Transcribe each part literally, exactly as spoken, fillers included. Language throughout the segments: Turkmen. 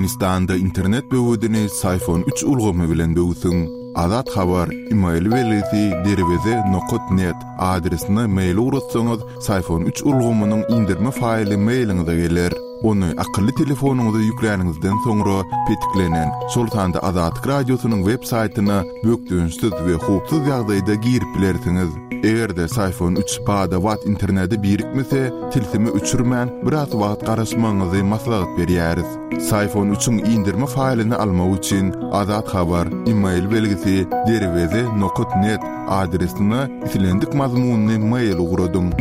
Türkmenistanda internet böwedini Syfon üç ulgamy bilen böwsüň. Azat Habar, email belgisi derweze nokat net adresine mail ugratsaňyz, Syfon üç ulgamynyň indirme faýly mailiňize geler. Ony akylly telefonyňyza ýükläniňizden soňra petiklenen, şol sanda Azatlyk Radiosynyň web saýtyna bökdençsiz we howpsuz ýagdaýda girip bilersiňiz. Eger-de Syfon üç bada-bat internete birikmese, tilsimi öçürmän biraz wagt garaşmagyňyzy maslahat berýäris. Syfon üçiň indirme faýlyny almak üçin Azat Habar, email belgisi derweze nokat net adresine islendik mazmunyny mail ugradyň.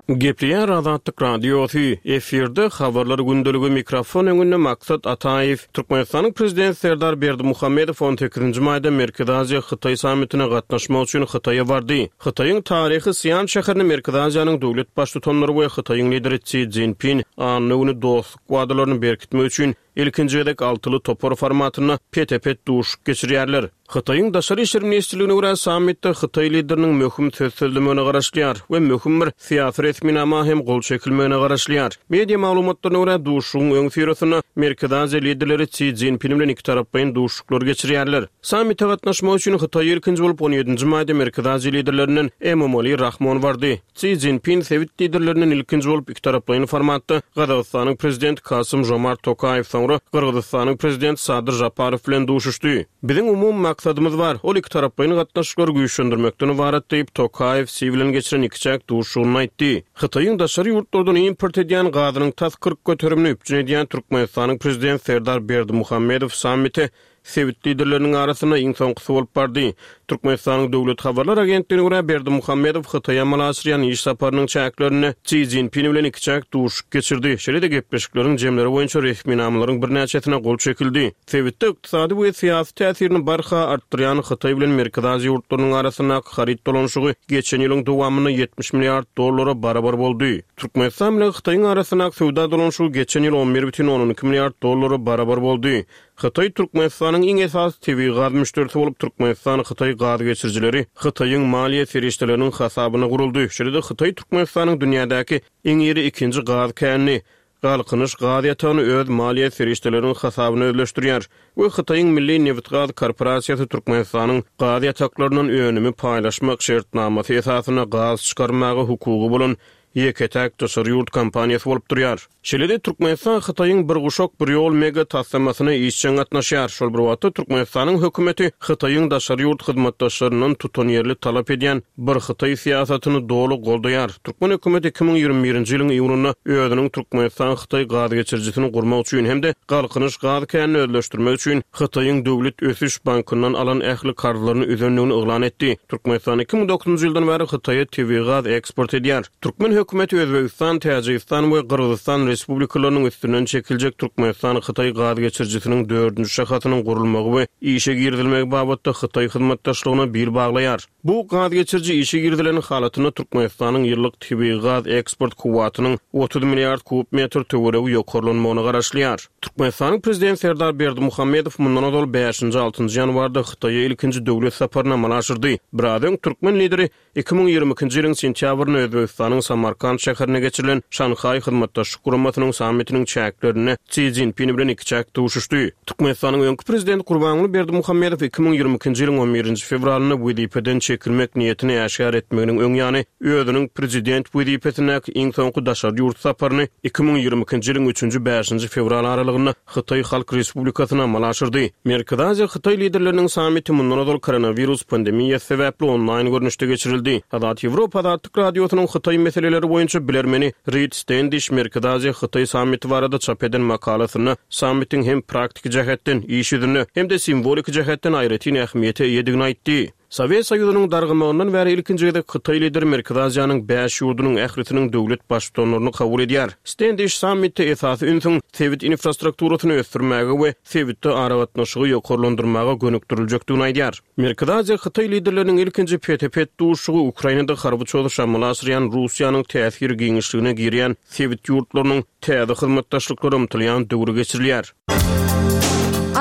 Gepleýär Azatlyk Radiosy, efirde habarlar gündeligi, mikrofon öňünde Maksat Ataýew. Türkmenistanyň Prezidenti Serdar Berdimuhamedow on sekizinji maýda Merkezi Aziýa Hytaý sammitine gatnaşmak üçin Hytaýa bardy. Hytaýyň taryhy Sian şäherinde Merkezi Aziýanyň döwlet baştutanlary we Hytaýyň lideri Xi Jinping anna güni dostluk wadalaryny berkitmek üçin ilkinji gezek altyly topar formatynda pete-pet duşuşyk geçirýärler. Hytaýyň Daşary işler ministrligine görä sammitde Hytaý lideriniň möhüm söz sözlemegine garaşylýar we möhüm bir syýasy resminama hem gol çekilmegine garaşylýar. Media maglumatlaryna görä duşuşygyň öň syrasynda Merkezi Aziýa liderleri Xi Jinping bilen iki taraplaýyn duşuşyklar geçirýärler. Sammite gatnaşmak üçin Hytaý ilkinji bolup on ýedinji maýda Merkezi Aziýa liderlerinden Emomali Rahmon bardy. Xi Jinping sebit liderlerinden ilkinji bolup iki taraplaýyn formatda Gazagystanyň prezidenti Kasym Jomart Tokaýew, soňra Gyrgyzystanyň prezidenti Sadyr Japarow bilen duşuşdy. Biziň umumy maksadymyz bar. Ol iki taraplaýyn gatnaşyklary güýçlendirmekden ybarat diýip Tokaýew Xi bilen geçiren ikiçäk duşuşygynda aýtdy. Hytaýyň daşary ýurtlardan import edýän gazynyň tas kyrk göterimini üpjün edýän Türkmenistanyň prezidenti Serdar Berdimuhamedow sammite sebit liderleriniň arasynda iň soňkusy bolup bardy. Türkmenistanyň Döwlet habarlar agentligine görä Berdimuhamedow Hytaýa amala aşyrýan iş saparynyň çäklerinde Xi Jinping bilen ikiçäk duşuşyk geçirdi. Şeýle-de gepleşikleriň jemleri boýunça resminamalaryň birnäçesine gol çekildi. Sebitde ykdysady we syýasy täsirini barha artdyrýan Hytaý bilen Merkezi Aziýa ýurtlarynyň arasyndaky haryt dolanyşygy geçen ýylyň dowamynda ýetmiş milliard dollara barabar boldy. Türkmenistan bilen Hytaýyň arasyndaky söwda dolanyşygy geçen ýyl on bir bütin ondan iki milliard dollara barabar boldy. Hytaý Türkmenistanyň iň esasy tebigy gaz müşderisi bolup, Türkmenistan Hytaý gaz geçirijileri Hytaýyň maliýe serişdeleriniň hasabyna guruldy. Şeýle-de Hytaý Türkmenistanyň dünýädäki iň iri ikinji gaz känini, Galkynyş gaz ýatagyny öz maliýe serişdeleriniň hasabyna özleşdirýär we Hytaýyň Milli Nebitgaz korporasiýasy Türkmenistanyň gaz ýataklaryndan önümi paýlaşmak şertnamasy esasynda gaz çykarmaga hukugy bolan ýeke-täk daşary ýurt kompaniýasy bolup durýar. Şeýle-de Türkmenistan Hytaýyň bir guşak bir ýol mega taslamasyna işjeň gatnaşýar. Şol bir wagtda Türkmenistanyň hökümeti Hytaýyň daşary ýurt hyzmatdaşlaryndan tutanýerli talap edýän bir Hytaý syýasatyny doly goldaýar. Türkmen hökümeti iki müň ýigrimi birinji ýylyň iýunynda özüniň Türkmenistan Hytaý gaz geçirijisini gurmak üçin hem-de Galkynyş gaz känini özleşdirmek üçin Hytaýyň Döwlet Ösüş Bankyndan alan ähli karzlaryny üzendigini yglan etdi. Türkmenistan iki müň dokuzynjy ýyldan bäri Hytaýa tebigy gaz eksport edýär. Türkmen hökümeti Özbegistan, Täjigistan we Gyrgyzystan Respublikalarynyň üstünden çekiljek Türkmenistan Hytaý gaz geçirijisiniň dördünji şahasynyň gurulmagy we işe girizilmegi babatda Hytaý hyzmatdaşlygyna bil baglaýar. Bu gaz geçiriji işe girizilen halatynda Türkmenistanyň ýyllyk tebigy gaz eksport kuwwatynyň otuz milliard kub metr töweregi ýokarlanmagyna garaşylýar. Türkmenistanyň prezidenti Serdar Berdimuhamedow mundan ozal bäşinji altynjy ýanwarda Hytaýa ilkinji döwlet saparyny amala aşyrdy. Biraz öň türkmen lideri iki müň ýigrimi ikinji ýylyň sentýabrynda Özbegistanyň Samarkand şäherine geçirilen Şanhaý hyzmatdaşlyk guramasynyň sammitiniň çäklerinde Xi Jinping bilen ikiçäk duşuşdy. Türkmenistanyň öňki prezidenti Gurbanguly Berdimuhamedow iki müň ýigrimi ikinji ýylyň on birinji fewralynda wezipeden çekilmek niýetini äşgär etmeginiň öň ýany özüniň prezident wezipesindäki iň soňky daşary ýurt saparyny iki müň ýigrimi ikinji ýylyň üçünji bäşinji fewral aralygynda Hytaý Halk Respublikasyna amala aşyrdy. Merkezi Aziýa Hytaý liderleriniň sammiti mundan ozal koronawirus pandemiýasy sebäpli onlaýn görnüşde geçirildi. Azat Ýewropa Azatlyk Radiosynyň Hytaý meseleleri boýunça bilermeni Reed Standish Merkezi Aziýa Hytaý sammiti barada çap eden makalasynda sammitiň hem praktiki jähetden, iş ýüzünde hem-de simwolik jähetden aýratyn ähmiýete eýedigini aýtdy. Sowet Soýuzynyň dargamagyndan bäri ilkinji gezek Hytaý lideri Merkezi Aziýanyň bäş ýurdunyň ählisiniň döwlet baştutanlaryny kabul edýär. Standish sammitde esasy ünsüň sebit infrastrukturasyny ösdürmäge we sebitde aragatnaşygy ýokarlandyrmaga gönükdiriljekdigini aýdýar. Merkezi Aziýa Hytaý liderleriniň ilkinji pete-pet duşuşygy Ukrainada harby çozuş amala aşyrýan Russiýanyň täsir giňişligine girýän sebit ýurtlarynyň täze hyzmatdaşlyklara ymtylýan döwri geçirilýär.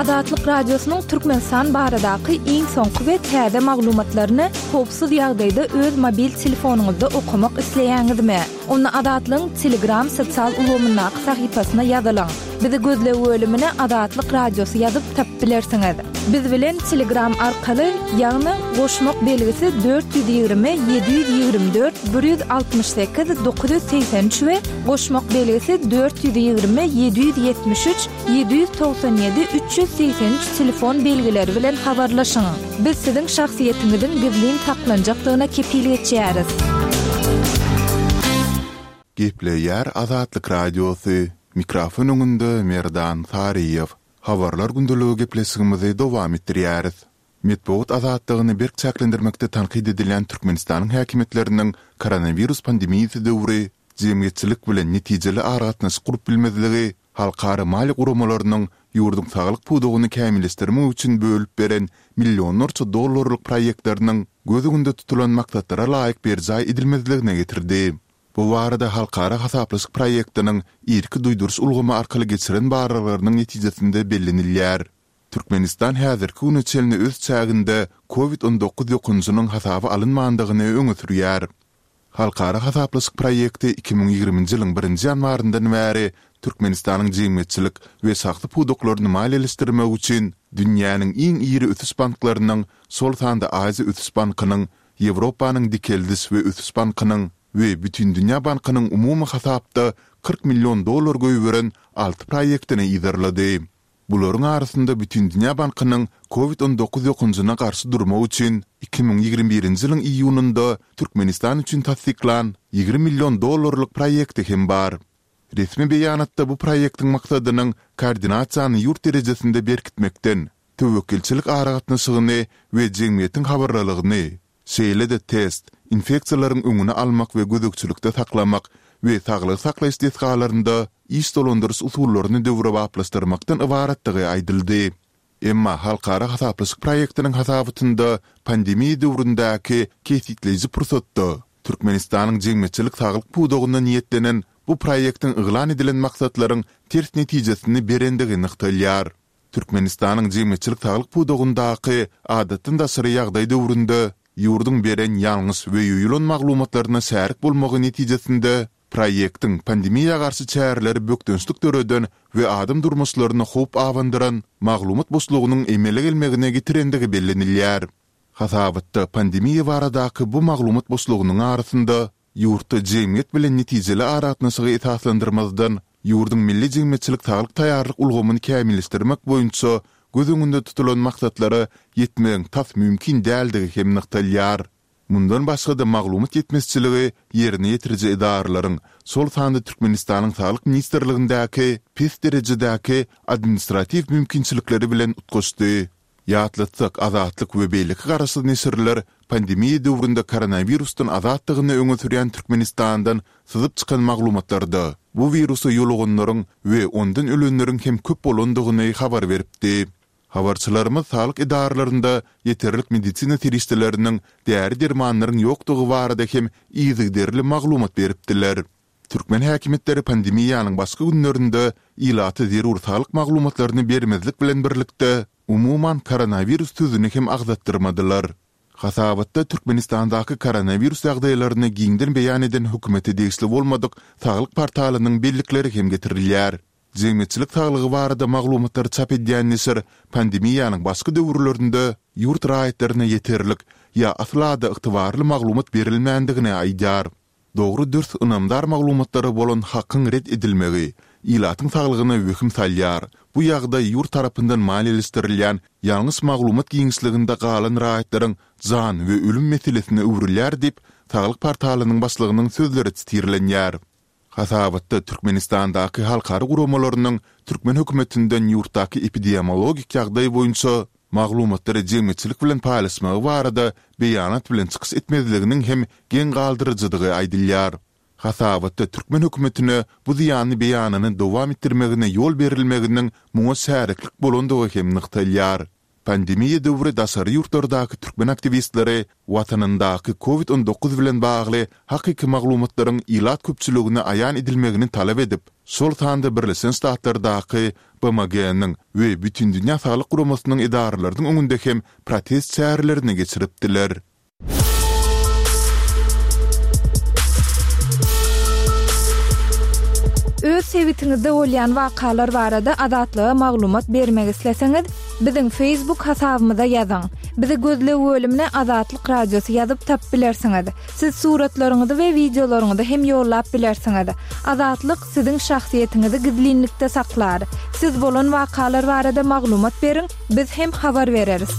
Azatlyk Radiosynyň Türkmenistan baradaky iň soňky we täze maglumatlaryny howpsuz ýagdaýda öz mobil telefonyňyzda okamak isleýäňizmi? Onda Azatlygyň Telegram sosial ulgamyndaky sahypasyna ýazylyň. Bizi gözleg bölümine Azatlyk Radiosy ýazyp tapyp bilersiňiz. Biz bilen Telegram arkaly, ýagny goşmak belgisi dört ýüz ýigrimi ýedi ýüz ýigrimi dört bir ýüz altmyş sekiz dokuz ýüz segsen üç we goşmak belgisi dört ýüz ýigrimi ýedi ýüz ýetmiş üç ýedi ýüz togsan ýedi üç ýüz segsen üç telefon belgileri bilen habarlaşyň. Biz siziň şahsyýetiňiziň gizlin saklanjakdygyna kepil geçýäris. Gepleýär Azatlyk Radiosy, mikrofon öňünde Merdan Saryýew. Habarlar gündeligi gepleşigimizi dowam etdirýäris. Metbugat azatlygyny berk çäklendirmekde tankyt edilýän Türkmenistanyň häkimiýetleriniň koronawirus pandemiýasy döwri jemgyýetçilik bilen netijeli aragatnaşyk gurup bilmezligi halkara maliýe guramalarynyň ýurduň saglyk pudagyny kämilleşdirmek üçin bölüp beren millionlarça dollarlyk proýektleriniň göz öňünde tutulan maksatlara laýyk berjaý edilmezligine getirdi. Bu barada halkara hasaplaşyk proýektiniň irki duýduryş ulgamy arkaly geçiren barlaglarynyň netijesinde bellenilýär. Türkmenistan häzirki güne çenli öz çäginde Covid on dokuz ýokanjynyň hasaba alynmandygyny öňe sürýär. Halkara hasaplaşyk proýekti iki müň ýigriminji ýylyň birinji ýanwaryndan bäri Türkmenistanyň jemgyýetçilik we şahsy pudaklaryny maliýeleşdirmek üçin dünýäniň iň iri ösüş banklarynyň, şol sanda Aziýa ösüş bankynyň, Ýewropanyň dikeldiş we ösüş bankynyň we Bütindünýä bankynyň umumy hasapda kyrk million dollar goýberen alty proýektini yzarlady. Bularyň arasynda Bütindünýä bankynyň Covid on dokuz ýokanjyna garşy durmak üçin iki müň ýigrimi birinji ýylyň iýunynda Türkmenistan üçin tassyklan ýigrimi million dollarlyk proýekti hem bar. Resmi beýanatda bu proýektiň maksadynyň koordinasiýany ýurt derejesinde berkitmekden, töwekgelçilik aragatnaşygyny we jemgyýetiň habarlylygyny, şeýle-de test, infeksiýalaryň öňüni almak we gözegçilikde saklamak we saglygy saklaýyş desgalarynda iş dolandyryş usullaryny döwrebaplaşdyrmakdan ybaratdygy aýdyldy. Emma halkara hasaplaşyk proýektiniň hasabatynda pandemiýa döwründäki kesgitleýji pursatda Türkmenistanyň jemgyýetçilik saglyk pudagyna niýetlenen bu proýektiň yglan edilen maksatlaryň ters netijesini berendigi nygtalýar. Türkmenistanyň jemgyýetçilik saglyk pudagyndaky adatdan daşary ýagdaý döwründe ýurduň beren ýalňyş we ýoýulan maglumatlaryna şärik bolmagy netijesinde proýektiň pandemiýa garşy çäreleri bökdençlik döreden we adam durmuşlaryna howp abandyran maglumat boşlugynyň emele gelmegine getirendigi bellenilýär. Hasabatda pandemiýa baradaky bu maglumat boşlugynyň arasynda ýurtda jemgyýet bilen netijeli aragatnaşygy esaslandyrmazdan, ýurduň milli jemgyýetçilik saglyk taýýarlyk ulgamyny kämilleşdirmek boýunça göz öňünde tutulan maksatlara ýetmegiň tas mümkin däldigi hem nygtalýar. Mundan başga-da maglumat ýetmezçiligi ýerine ýetiriji edaralaryň, şol sanda Türkmenistanyň Saglyk ministrligindäki pes derejedäki administratiw mümkinçilikleri bilen utgaşdy. Ýatlatsak, Azatlyk we beýleki garaşsyz neşirler pandemiýa döwründe koronawirusdan azatdygyny öňe sürýän Türkmenistandan syzyp çykan maglumatlarda bu wirusa ýoluganlaryň we ondan ölenleriň hem köp bolandygyny habar beripdi. Habarçylarymyz saglyk edaralarynda ýeterlik medisina serişdeleriniň, däri-dermanlaryň ýokdugy barada hem yzygiderli maglumat beripdiler. Türkmen häkimiýetleri pandemiýanyň başky günlerinde ilata zerur saglyk maglumatlaryny bermezlik bilen birlikde, umuman koronawirus sözüni hem agzatdyrmadylar. Hasabatda Türkmenistandaky koronawirus ýagdaýlaryny giňden beýan eden hökümete degişli bolmadyk saglyk portalynyň bellikleri hem getirilýär. Jemgyýetçilik saglygy barada maglumatlary çap edýän neşir pandemiýanyň başky döwürlerinde ýurt raýatlaryna ýeterlik ýa asla-da ygtybarly maglumat berilmändigini aýdýar. Dogry-dürs ynamdar maglumatlara bolan hakyň ret edilmegi ilatyň saglygyna wehim salýar. Bu ýagdaý ýurt tarapyndan maliýeleşdirilýän ýalňyş maglumat giňişliginde galan raýatlaryň jan we ölüm meselesine öwrülýär diýip, saglyk portalynyň başlygynyň sözleri sitirlenýär. Hasabatda Türkmenistandaky halkara guramalarynyň türkmen hökümetinden ýurtdaky epidemiologik ýagdaý boýunça maglumatlary jemgyýetçilik bilen paýlaşmagy barada beýanat bilen çykyş etmezliginiň hem geň galdyryjydygy aýdylýar. Hasabatda türkmen hökümetine bu zyýanly beýanyny dowam etdirmegine ýol berilmeginiň muňa şäriklik bolandygy hem nygtalýar. Pandemiýa döwri daşary ýurtlardaky türkmen aktiwistleri watanyndaky Covid on dokuz bilen bagly hakyky maglumatlaryň ilat köpçüligine aýan edilmegini talap edip, şol sanda Birleşen Ştatlardaky B M G-niň we Bütindünýä Saglyk Guramasynyň edaralarynyň öňünde hem protest çärelerini geçiripdiler. Öz sebitiňizde bolýan wakalar barada Azatlyga maglumat bermek isleseňiz, biziň Facebook hasabymyza ýazyň. Bizi gözleg bölümine Azatlyk Radiosy ýazyp tapyp bilersiňiz. Siz suratlaryňyzy we wideolaryňyzy hem ýollap bilersiňiz. Azatlyk siziň şahsyýetiňizi gizlinlikde saklar. Siz bolan wakalar barada maglumat beriň, biz hem habar bereris.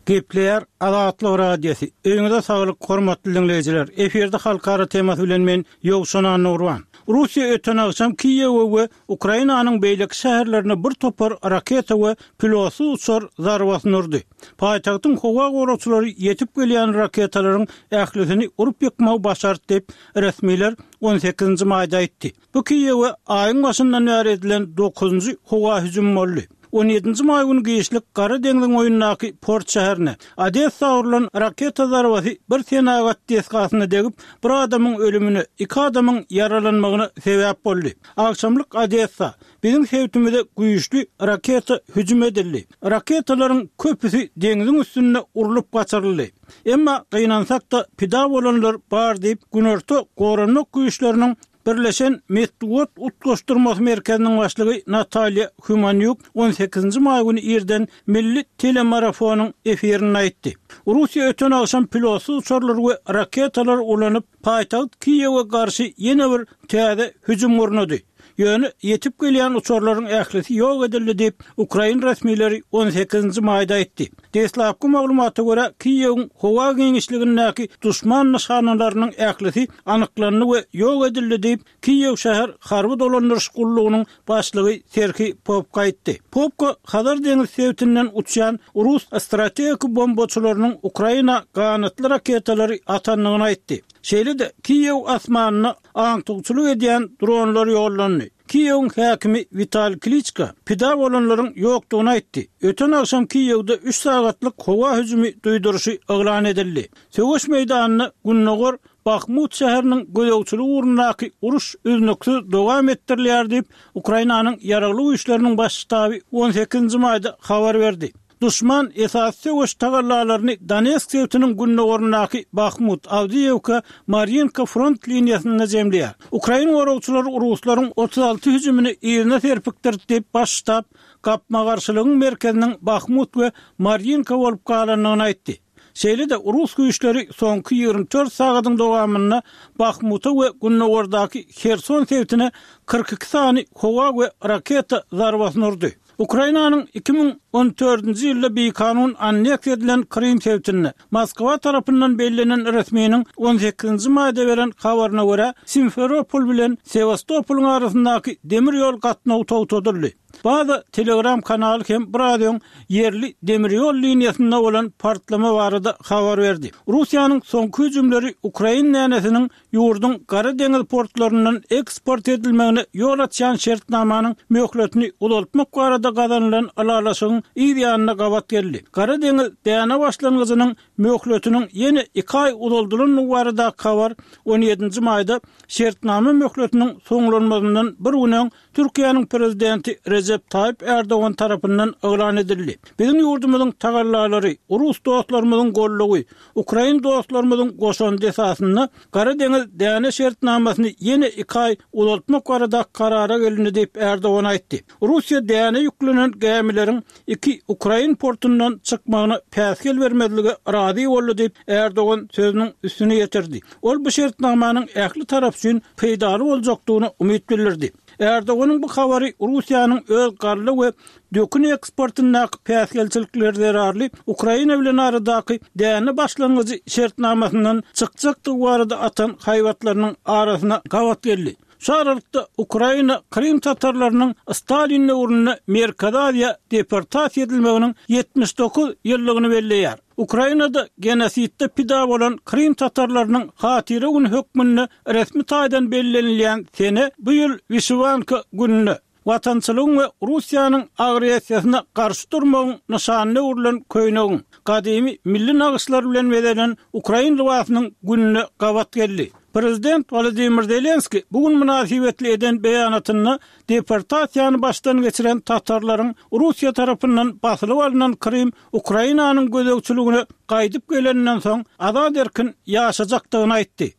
Gepleýär Azatlyk Radiosy. Öýüňize saglyk, hormatly dinleýjiler. Efirde halkara temasy bilen men Ýowşan Annurban. Russiýa öten agşam Kiýewe we Ukrainanyň beýleki şäherlerine bir topar raketa we pilotsyz uçar zarbasyny urdy. Paýtagtyň howa goragçylary ýetip gelýän raketalaryň ählisini urup ýykmagy başardy diýip, resmiler on sekizinji maýda aýtdy. Bu Kiýewe aýyň başyndan bäri edilen dokuzynjy howa hüjümi boldy. on ýedinji maý güni giçlik Gara deňziň boýundaky port şäherine Odessa urulan raketa zarbasy bir senagat desgasyna degip, bir adamyň ölümine, iki adamyň ýaralanmagyna sebäp boldy. Agşamlyk Odessa biziň sebitimize güýçli raketa hüjüm edildi. Raketalaryň köpüsi deňziň üstünde urlup gaçyryldy. Emma gynansak-da pida bolanlar bar diýip, Günorta Goranmak güýçleriniň Birleşen Metbugat Utgaşdyrmasy Merkeziniň başlygy Natalýa Humanýuk on sekizinji maý güni irden Milli telemarafonyň efirinde aýtdy. Russiýa öten agşam pilotsyz uçarlar we raketalar ulanyp, paýtagt Kiýewe garşy ýene bir täze hüjüm gurnady. Ýöne ýetip gelýän uçarlaryň ählisi ýok edildi diýip, Ukrain resmileri on sekizinji maýda aýtdy. Deslapky maglumata görä, Kiýewiň howa giňişligindäki duşman nyşanalarynyň ählisi anyklandy we ýok edildi diýip, Kiýew şäher harby dolandyryş gullugynyň başlygy Serhiý Popko aýtdy. Popko Hazar deňiz sebitinden uçýan rus strategik bombaçylarynyň Ukraina ganatly raketalary atandygyny aýtdy. Şeýle-de Kiýew asmanyna aňtawçylyk edýän dronlar ýollandy. Kiýewiň häkimi Wital Kliçka pida bolanlaryň ýokdugyny aýtdy. Öten agşam Kiýewde üç sagatlyk howa hüjümi duýduryşy yglan edildi. Söweş meýdanynda Gündogar Bahmut şäheriniň gözegçiligi ugrundaky uruş üznüksiz dowam etdirilýär diýip, Ukrainanyň ýaragly güýçleriniň baş ştaby on sekizinji maýda habar berdi. Duşman esasy söweş tagallalaryny Donetsk sebitiniň gündogaryndaky Bahmut, Awdiýewka, Maryinka front liniýasynda jemleýär. Ukrain goragçylary ruslaryň otuz alty hüjümini yzyna serpikdirdi diýip, baş ştab gapma-garşylygyň merkeziniň Bahmut we Maryinka bolup galandygyny aýtdy. Şeýle-de rus güýçleri soňky ýigrimi dört sagadyň dowamynda Bahmuta we gündogardaky Herson sebitine kyrk iki sany howa we raketa zarbasyny urdy. Ukrainanyň iki müň on dördünji ýylda bikanun anneksiýa edilen Krym sebitinde Moskwa tarapyndan bellenen resminiň on sekizinji maýda beren habaryna görä, Simferopol bilen Sewastopolyň arasyndaky demir ýol gatnawy togtadyldy. Baza Telegram kanaly hem biraz öň ýerli demir ýol liniýasynda bolan partlama barada habar berdi. Russiýanyň soňky hüjümleri Ukrain dänesiniň ýurduň Gara deňiz portlaryndan eksport edilmegine ýol açýan şertnamanyň möhletini uzaltmak barada gazanylan ylalaşygyň yz ýanyna gabat geldi. Gara deňiz däne başlangyjynyň möhletiniň ýene iki aý uzaldylandygy barada habar on ýedinji maýda şertnama möhletiniň soňlanmazyndan bir gün öň Türkiýäniň prezidenti Rejep Taýyp Erdogan tarapyndan yglan edildi. Biziň ýurdumyzyň tagallalary, rus dostlarymyzyň gollugy, ukrain dostlarymyzyň goşandy esasynda Gara deňiz däne şertnamasyny ýene iki aý uzaltmak barada karara gelindi diýip Erdogan aýtdy. Russiýa däne ýüklenen gämileriň iki ukrain portundan çykmagyna päsgel bermezlige razy boldy diýip Erdogan sözüniň üstüne ýetirdi. Ol bu şertnamanyň ähli tarap üçin peýdaly boljakdygyna umyt bildirdi. Erdoganyň bu habary Russiýanyň öz galla we dökün eksportyndaky päsgelçilikleri zerarly Ukraina bilen aradaky däne başlangyjy şertnamasyndan çykjakdygy barada atan haýbatlarynyň arasyna gabat geldi. Şu aralykda Ukraina Krym tatarlarynyň Stalin döwründe Merkezi Aziýa deportasiýa edilmeginiň ýetmiş dokuz ýyllygyny belleýär. Ukrainada genosidde pida bolan Krym tatarlarynyň hatyra güni hökmünde resmi taýdan bellenilýän sene bu ýyl Wişiwanka gününe, Watançylygyň we Russiýanyň agressiýasyna garşy durmagyň nyşanyna öwrülen köýnegiň, gadymy milli nagyşlar bilen bezelen ukrain lybasynyň gününe gabat geldi. Prezident Wolodymyr Zelenskiý bu gün mynasybetli eden beýanatynda deportasiýany başdan geçiren tatarlaryň Russiýa tarapyndan basylyp alnan Krym Ukrainanyň gözegçiligine gaýdyp geleninden soň azat-erkin ýaşajakdygyny aýtdy.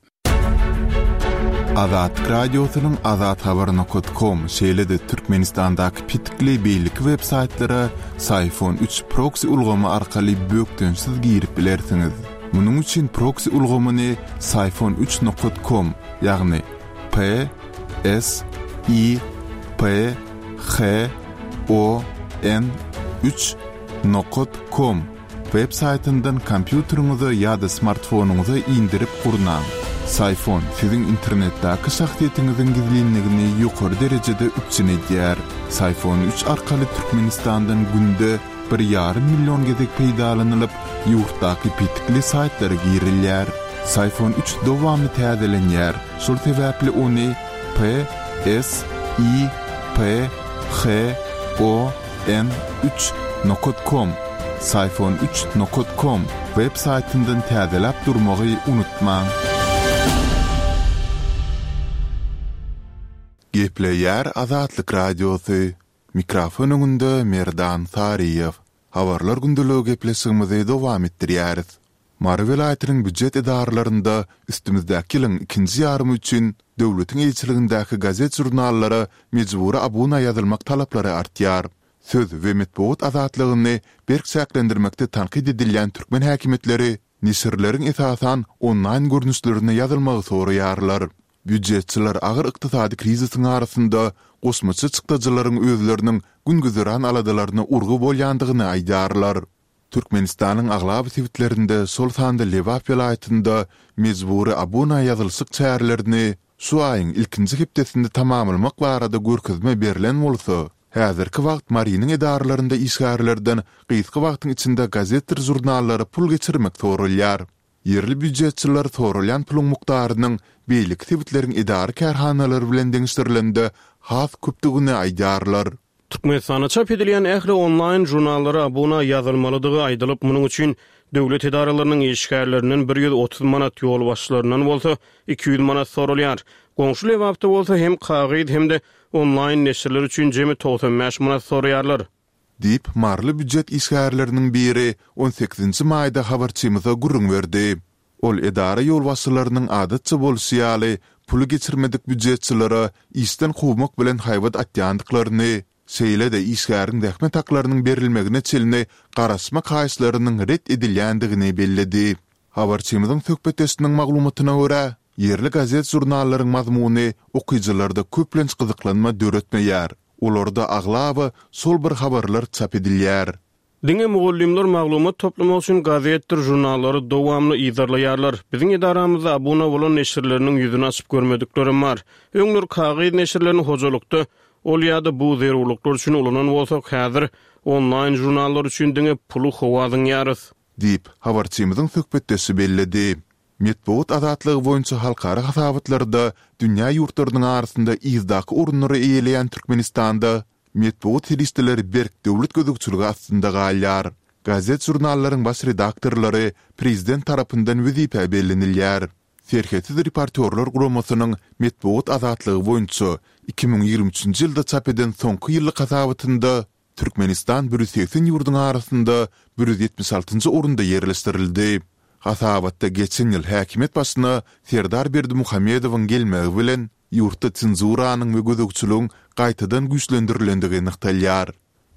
Azatlyk Radiosynyň azathabar nokat kom, şeýle-de Türkmenistandaky petikli beýleki web saýtlara Syfon üç proksi ulgamy arkaly bökdençsiz girip bilersiňiz. Munuň üçin proksi ulgamyny Syfon üç nokat kom, ýagny P S I P H O N üç nokat kom web saýtyndan kompýuteriňize ýa-da smartfonyňyza indirip gurnaň. Syfon siziň internetdäki şahsyýetiňiziň gizlinligini ýokary derejede üpjün edýär. Syfon üç arkaly Türkmenistandan günde bir ýarym million gezek peýdalanylyp, ýurtdaky petikli saýtlara girilýär. Syfon üç dowamly täzelenýär, şol sebäpli ony P S I P H O N üç nokat kom, Syfon üç nokat kom web saýtyndan täzeläp durmagy unutmaň. Gepleýär Azatlyk Radiosy. Mikrofon öňünde Merdan Saryýew. Habarlar gündeligi gepleşigimizi dowam etdirýäris. Mary welaýatynyň býujet edaralarynda üstümizdäki ýylyň ikinji ýarymy üçin döwletiň eýeçiligindäki gazet-žurnallara mejbury abuna ýazylmak talaplary artýar. Söz we metbugat azatlygyny berk çäklendirmekde tankyt edilýän türkmen häkimiýetleri neşirleriň esasan onlaýn görnüşlerine ýazylmagy soraýarlar. Býujetçiler agyr ykdysady krizisiň arasynda goşmaça çykdajylaryň özleriniň gün-güzeran aladalaryna urgy bolýandygyny aýdýarlar. Türkmenistanyň aglaba sebitlerinde, şol sanda Lebap welaýatynda mejbury abuna ýazylyşyk çärelerini şu aýyň ilkinji hepdesinde tamamlamak barada görkezme berlen bolsa, häzirki wagt Marynyň edaralarynda işgärlerden gysga wagtyň içinde gazetdir žurnallara pul geçirmek soralýar. Ýerli býujetçiler soralýan puluň mukdarynyň beýleki sebitleriň edara-kärhanalary bilen deňeşdirilende has köpdügini aýdýarlar. Türkmenistanda çap edilýän ähli onlaýn žurnallara abuna ýazylmalydygy aýdylyp, munuň üçin döwlet edaralarynyň işgärlerinden bir ýüz otuz manat, ýolbaşçylaryndan bolsa iki ýüz manat soralýar. Goňşy Lebapda bolsa hem kagyz hem-de onlaýn neşirler üçin jemi togsan bäş manat soraýarlar. Diýip, maryly býujet işgärleriniň biri on sekizinji maýda habarçymyza gürrüň berdi. Ol edara ýolbaşçylarynyň adatça bolşy ýaly, puly geçirmedik býujetçilere işden kowmak bilen haýbat atýandyklaryny, şeýle-de işgäriň zähmet haklarynyň berilmegine çenli garaşmak haýyşlarynyň ret edilýändigini belledi. Habarçymyzyň söhbetdeşiniň maglumatyna görä, ýerli gazet-žurnallaryň mazmuny okyjylarda köplenç gyzyklanma döretmeýär. Olarda aglaba şol bir habarlar çap edilýär. Diňe mugallymlar maglumat toplamak üçin gazetdir žurnallary dowamly yzarlaýarlar. Biziň edaramyzda abuna bolan neşirleriniň ýüzüni açyp görmediklerim bar. Öňler kagyz neşirlerini hojalykda ol ýa-da bu zerurlyklar üçin ulanan bolsak, häzir onlaýn žurnallar üçin diňe puly howa zyňýarys. Diýip, habarçymyzyň söhbetdeşi belledi. Metbugat azatlygy boýunça halkara hasabatlarda dünýä ýurtlarynyň arasynda yzdaky orunlary eýeleýän Türkmenistanda metbugat serişdeleri berk döwlet gözegçiligi astynda galýar. Gazet-žurnallaryň baş redaktorlary prezident tarapyndan wezipä bellenilýär. Serhetsiz reportýorlar guramasynyň metbugat azatlygy boýunça iki müň ýigrimi üçünji ýylda çap eden soňky ýyllyk hasabatynda Türkmenistan bir ýüz segsen ýurduň arasynda bir ýüz ýetmiş altynjy orunda ýerleşdirildi. Hasabatda geçen ýyl häkimiýet başyna Serdar Berdimuhamedowyň gelmegi bilen ýurtda senzuranyň we gözegçiligiň gaýtadan güýçlendirilendigi nygtalýar.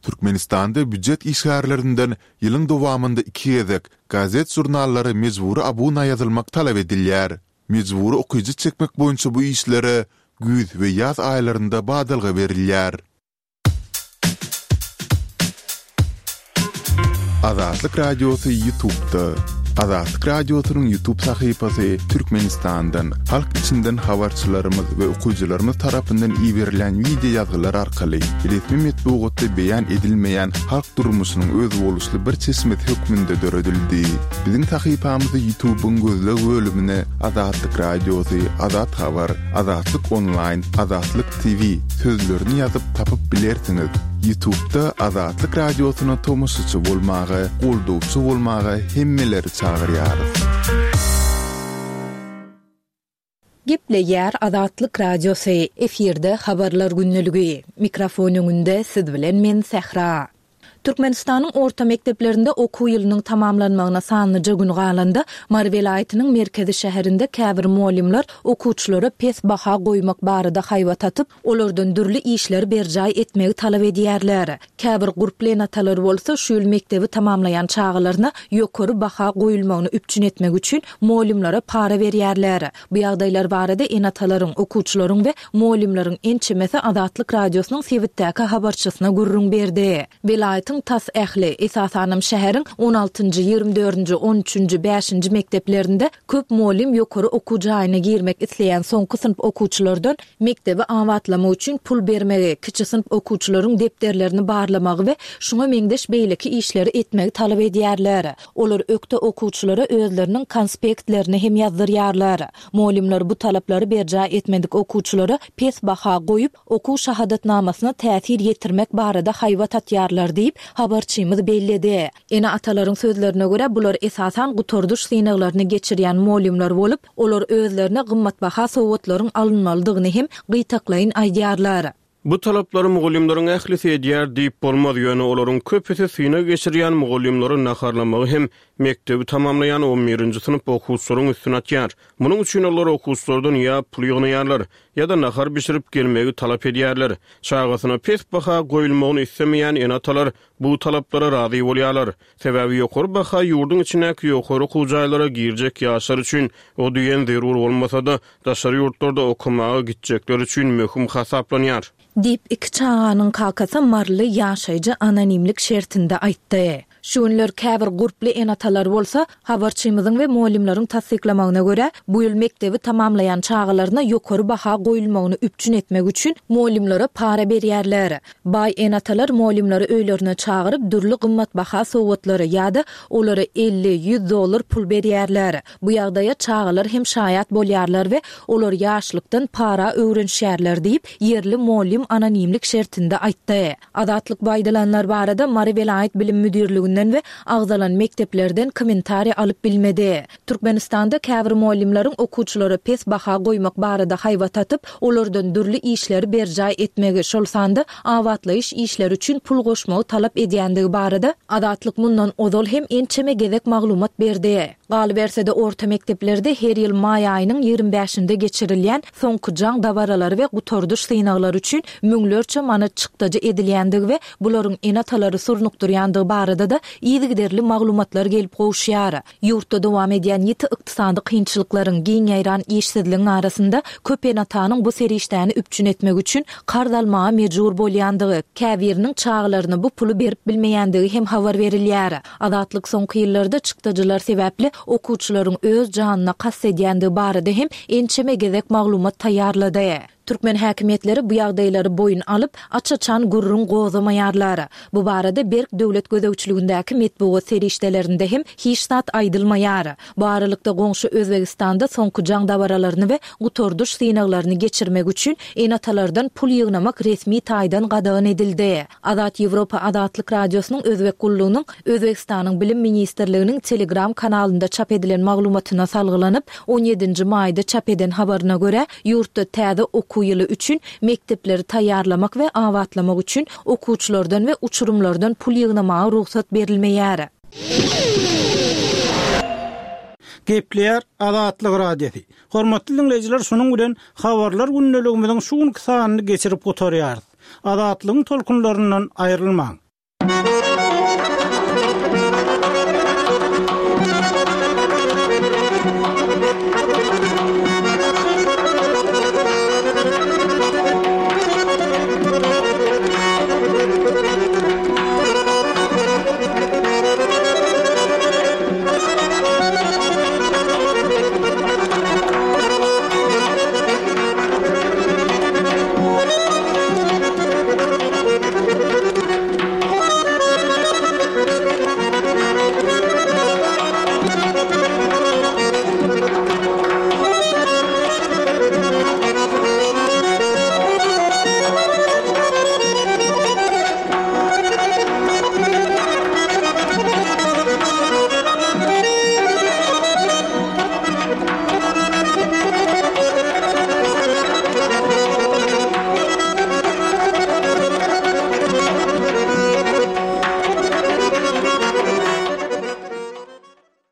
Türkmenistanda býujet işgärlerinden ýylyň dowamynda iki gezek gazet-žurnallara mejbury abuna ýazylmak talap edilýär. Mejbury okyjy çekmek boýunça bu işlere güýz we ýaz aýlarynda badalga berilýär. Azatlyk Radiosy YouTube'da. Azatlyk Radiosynyň YouTube sahypasy Türkmenistandan, halk içinden habarçylarymyz we okyjylarymyz tarapyndan iberilen wideo ýazgylar arkaly resmi metbugatda beýan edilmeýän halk durmuşynyň özboluşly bir çeşmesi hökmünde döredildi. Biziň sahypamyzy YouTube-yň gözleg bölümine Azatlyk Radiosy, Azat Habar, Azatlyk Onlaýn, Azatlyk T V sözlerini ýazyp tapyp bilersiňiz. YouTube-da Azatlyk Radiosyna tomaşaçy bolmaga, goldawçy bolmaga hemmeleri çagyrýarys. Gepleýär Azatlyk Radiosy, efirde habarlar gündeligi. Mikrofon öňünde siz bilen men Sähra. Türkmenistanyň orta mekdeplerinde okuw ýylynyň tamamlanmagyna sanlyja gün galanda, Mary welaýatynyň merkezi şäherinde käbir mugallymlar okuwçylara pes baha goýmak barada haýbat atyp, olardan dürli işleri berjaý etmegi talap edýärler. Käbir gurply ene-atalar bolsa şu ýyl mekdebi tamamlaýan çagalaryna ýokary baha goýulmagyny üpjün etmek üçin mugallymlara para berýärler. Bu ýagdaýlar barada ene-atalaryň, okuwçylaryň we mugallymlaryň ençemesi Azatlyk Radiosynyň sebitdäki habarçysyna gürrüň berdi. Welaýatyň tas ähli, esasanam şäheriň on altynjy, ýigrimi dördünji, on üçünji, bäşinji mekdeplerinde köp mugallym ýokary okuw jaýyna girmek isleýän soňky synp okuwçylardan mekdebi abatlamak üçin pul bermegi, kiçi synp okuwçylaryň depderlerini barlamagy we şuňa meňzeş beýleki işleri etmegi talap edýärler. Olar ökde okuwçylara özleriniň konspektlerini hem ýazdyrýarlar. Mugallymlar bu talaplary berjaý etmedik okuwçylara pes baha goýup, okuw şahadatnamasyna täsir ýetirmek barada haýbat atýarlar diýip, habarçymyz belledi. Ene-atalaryň sözlerine görä bular esasan gutardyş synaglaryny geçirýän mugallymlar bolup, olar özlerine gymmatbaha sowgatlaryň alynmalydygyny hem gytaklaýyn aýdýarlar. Bu talaplary mugallymlaryň ählisi edýär diýip bolmaz, ýöne olaryň köpüsi synag geçirýän mugallymlary naharlamagy hem mekdebi tamamlaýan on birinji synp okuwçylaryň üstüne atýar. Munuň üçin olar okuwçylardan ýa pul ýygnaýarlar, ýa-da nahar bişirip gelmegi talap edýärler. Çagasyna pes baha goýulmagyny islemeýän ene-atalar bu talaplara razy bolýarlar. Sebäbi ýokary baha ýurduň içindäki ýokary okuw jaýlara girjek ýaşlar üçin o diýen zerur bolmasa-da, daşary ýurtlarda okamaga gitjekler üçin möhüm hasaplanýar. Diýip, iki çaganyň kakasy Marly ýaşaýjy anonimlik şertinde aýtdy. Şu günler käbir gurply ene-atalar bolsa, habarçymyzyň we mugallymlaryň tassyklamagyna görä, bu ýyl mekdebi tamamlaýan çagalaryna ýokary baha goýulmagyny üpjün etmek üçin mugallymlara para berýärler. Baý ene-atalar mugallymlary öýlerine çagyryp, dürli gymmatbaha sowgatlary ýa-da olara elli, ýüz dollar pul berýärler. Bu ýagdaýa çagalar hem şaýat bolýarlar we olar ýaşlykdan para öwrenişýärler diýip, ýerli mugallym anonimlik şertinde aýtdy. Azatlyk bu aýdylanlar barada Mary welaýat bilim müdirliginden we agzalan mekdeplerden kommentariýa alyp bilmedi. Türkmenistanda käbir mugallymlaryň okuwçylara pes baha goýmak barada haýbat atyp, olardan dürli işleri berjaý etmegi, şol sanda abatlaýyş işleri üçin pul goşmagy talap edýändigi barada Azatlyk mundan ozal hem ençeme gezek maglumat berdi. Galyberse-de orta mekdeplerde her ýyl maý aýynyň ýigrimi bäşinde geçirilýän soňky jaň dabaralary we gutardyş synaglary üçin müňlerçe manat çykdajy edilýändigi we bularyň ene-atalary surnukdyrýandygy barada da yzygiderli maglumatlar gelip gowuşýar. Ýurtda dowam edýän ýiti ykdysady kynçylyklaryň, giň ýaýran işsizligiň arasynda köp ene-atanyň bu serişdäni üpjün etmek üçin karz almaga mejbur bolýandygy, käbiriniň çagalaryna bu puly berip bilmeýändigi hem habar berilýär. Azatlyk soňky ýyllarda çykdajylar sebäpli okuwçylaryň öz janyna kast edýändigi barada hem ençeme gezek maglumat taýýarlady. Türkmen häkimiýetleri bu ýagdaýlary boýun alyp, aç-açan gürrüň gozamaýarlar. Bu barada berk döwlet gözegçiligindäki metbugat serişdelerinde hem hiç zat aýdylmaýar. Bu aralykda goňşy Özbegistanda soňky jaň dabaralaryny we gutardyş synaglaryny geçirmek üçin ene-atalardan pul ýygnamak resmi taýdan gadagan edildi. Azat Ýewropa Azatlyk Radiosynyň Özbek gullugynyň Özbegistanyň Bilim Ministrliginiň Telegram kanalynda çap edilen maglumatyna salgylanyp, on ýedinji maýda çap eden habaryna görä, ýurtda täze okuw ýyly üçin mekdepleri taýýarlamak we abatlamak üçin okuwçylardan we uçurymlardan pul ýygnamaga rugsat berilmeýär. Gepleýär Azatlyk Radiosy. Hormatly dinleýjiler, şunuň bilen habarlar gündeligimiziň şu günki sanyny geçirip gutarýarys. Azatlygyň tolkunlaryndan aýrylmaň.